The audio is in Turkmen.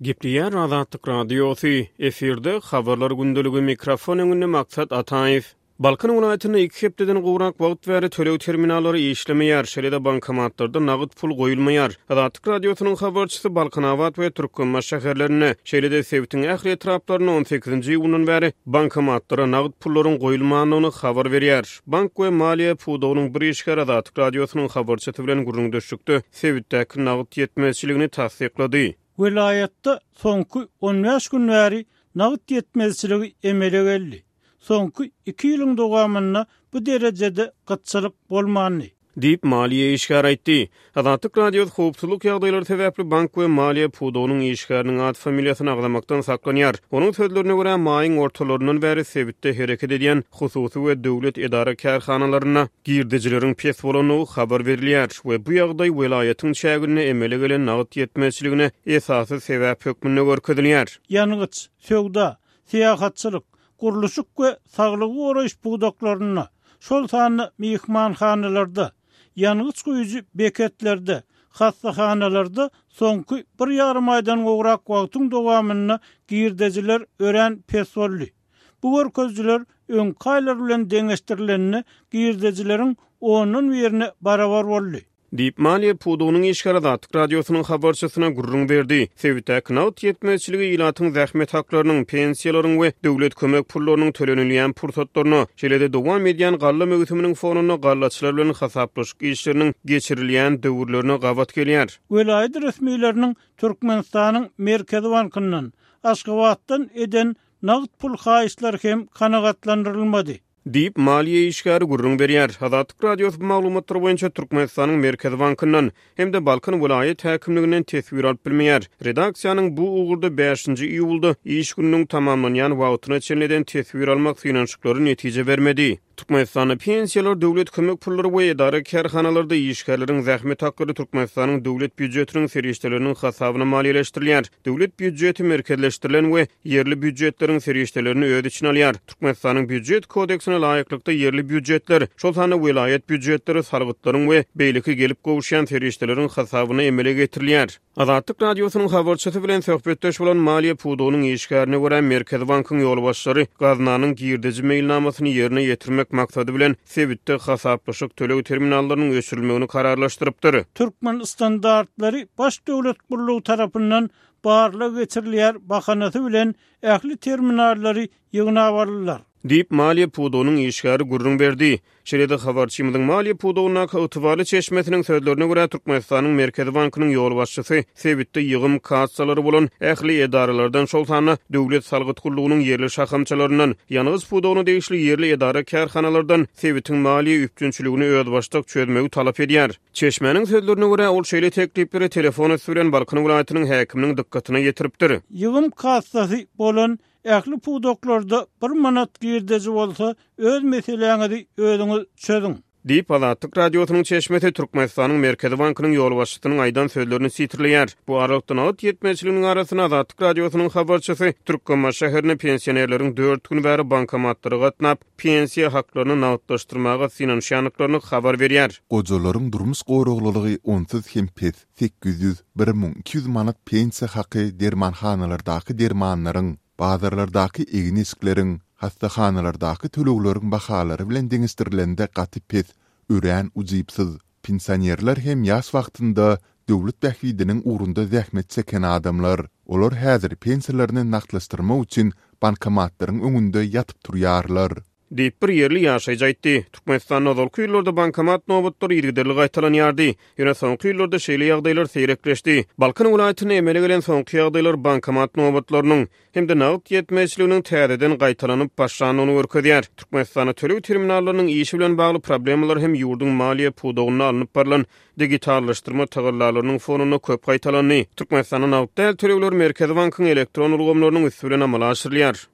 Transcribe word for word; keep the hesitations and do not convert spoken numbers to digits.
Gepleýär Azatlyk Radiosy, efirde Habarlar gündeligi, mikrofon öňünde Maksat Ataýew. Balkan welaýatynda iki hepdeden gowrak wagt bäri töleg terminallary işlemeýär, şeýle-de bankomatlarda nagt pul goýulmaýar. Azatlyk Radiosynyň habarçysy Balkanabat we Türkmenbaşy şäherlerinde, şeýle-de sebitiň ähli etraplarynda on sekizinji iýundan bäri bankomatlara nagt pullaryň goýulmandygyny habar berýär. Bank we maliýe pudagynyň bir işgäri Azatlyk Radiosynyň habarçysy bilen gürrüňdeşlikde sebitdäki nagt ýetmezçiligini tassyklady. Welaýatda soňky on bäş gün bäri nagt ýetmezçiligi emele geldi. Soňky iki ýylyň dowamynda bu derejede gytçylyk bolmandy. Diýip, maliýe işgäri aýtdy. Azatlyk Radiosy howpsuzlyk ýagdaýlary sebäpli bank we maliýe pudagynyň işgäriniň at-familiýasyny agzamakdan saklanýar. Onuň sözlerine görä, maýyň ortalaryndan bäri sebitde hereket edýän hususy we döwlet edara-kärhanalarynda girdejileriň pes bolandygy habar berilýär we bu ýagdaý welaýatyň çäginde emele gelen nagt ýetmezçiligine esasy sebäp hökmünde görkezilýär. Ýangyç, söwda, syýahatçylyk, gurluşyk we saglygy goraýyş pudaklarynda, şol sanda myhmanhanalarda, ýangyç guýujy beketlerde, hassahanalarda soňky bir ýarym aýdan gowrak wagtyň dowamynda girdejiler örän pes boldy. Bu görkezijiler öňki aýlar bilen deňeşdirilende girdejileriň ondan birine barabar boldy. Diýip, maliýe pudagynyň işgäri Azatlyk Radiosynyň habarçysyna gürrüň berdi. Sebitdäki nagt ýetmezçiligi ilatyň zähmet haklarynyň, pensiýalaryň we döwlet kömek pullarynyň tölenilýän pursatlaryna, şeýle-de dowam edýän galla möwsüminiň fonunda gallaçylar bilen hasaplaşyk işleriniň geçirilýän döwürlerine gabat gelýär. Welaýat resmileriniň Türkmenistanyň Merkezi bankyndan, Aşgabatdan eden nagt pul haýyşlary hem kanagatlandyrylmady. Diýip, maliýe işgäri gürrüň berýär. Azatlyk Radiosy bu maglumatlar boýunça Türkmenistanyň Merkezi bankyndan hem-de Balkan welaýat häkimliginden teswir alyp bilmeýär. Redaksiýanyň bu ugurda bäşinji iýulda iş gününiň tamamlanýan wagtyna çenli eden teswir almak synanyşyklary netije bermedi. Türkmenistanda pensiýalar, döwlet kömek pullary we edara-kärhanalarda işgärleriň zähmet haklary Türkmenistanyň döwlet býujetiniň serişdeleriniň hasabyna maliýeleşdirilýär. Döwlet býujeti merkezleşdirilen we ýerli býujetleriň serişdelerini öz içine alýar. Türkmenistanyň býujet kodeksine laýyklykda ýerli býujetler, şol sanda welaýat býujetleri salgytlaryň we beýleki gelip gowuşýan serişdeleriň hasabyna emele getirilýär. Azatlyk Radiosynyň habarçysy bilen söhbetdeş bolan maliýe pudagynyň işgärine görä, Merkezi bankyň ýolbaşçylary gaznanyň girdeji meýilnamasyny ýerine ýetirmek maksady bilen sebitde hasaplaşyk töleg terminallarynyň öçürilmegini kararlaşdyrypdyr. Türkmen standartlary baş döwlet gullugy tarapyndan barlag geçirilýär bahanasy bilen ähli terminallary ýygnap aldylar. Diýip, maliýe pudagynyň işgäri gürrüň berdi. Şeýle-de habarçymyzyň maliýe pudagyndaky ygtybarly çeşmesiniň sözlerine görä, Türkmenistanyň Merkezi bankynyň ýolbaşçysy sebitde ýygym kassalary bolan ähli edaralardan, şol sanda döwlet salgyt gullugynyň ýerli şahamçalaryndan, ýangyç pudagyna degişli ýerli edara-kärhanalardan sebitiň maliýe üpjünçiligini özbaşdak çözmegi talap edýär. Çeşmäniň sözlerine görä, ol şeýle teklipleri telefon üsti bilen Balkan welaýatynyň häkiminiň dykgatyna ýetiripdir. Ýygym kassasy bolan ähli pudaklarda bir manat girdeji bolsa, öz meseläňizi özüňiz çözüň. Diýip, Azatlyk Radiosynyň çeşmesi Türkmenistanyň Merkezi bankynyň ýolbaşçysynyň aýdan sözlerini sitirleýär. Bu aralykda nagt ýetmezçiliginiň arasynda Azatlyk Radiosynyň habarçysy Türkmenbaşy şäherinde pensionerleriň dört gün bäri bankomatlara gatnap, pensiýa haklaryny nagtlaşdyrmaga synanyşýandyklaryny habar berýär. Gojalaryň durmuş goraglylygy onsuz hem pes, sekiz ýüz, bir müň iki ýüz manat pensiýa haky dermanhanalardaky dermanlaryň, bazarlardaky egin-eşikleriň, hassahanalardaky tölegleriň bahalary bilen deňeşdirilende gaty pes, örän ujypsyz. Pensionerler hem ýaş wagtynda döwlet bähbidiniň ugrunda zähmet çeken adamlar. Olar häzir pensiýalaryny nagtlaşdyrmak üçin bankomatlaryň öňünde ýatyp turýarlar. Diýip, bir ýerli ýaşaýjy aýtdy. Türkmenistanda ozalky ýyllarda bankomat nobatlary yzygiderli gaýtalanýardy. Ýöne soňky ýyllarda şeýle ýagdaýlar seýrekleşdi. Balkan welaýatynda emele gelen soňky ýagdaýlar bankomat nobatlarynyň hem-de nagt ýetmezçiliginiň täzeden gaýtalanyp başlandygyny görkezýär. Türkmenistanda töleg terminallarynyň işi bilen bagly problemalar hem ýurduň maliýe pudagynda alnyp barylan digitallaşdyrma tagallalarynyň fonunda köp gaýtalandy. Türkmenistanda nagt däl tölegler Merkezi bankyň elektron ulgamlarynyň üsti bilen amala aşyrylýar.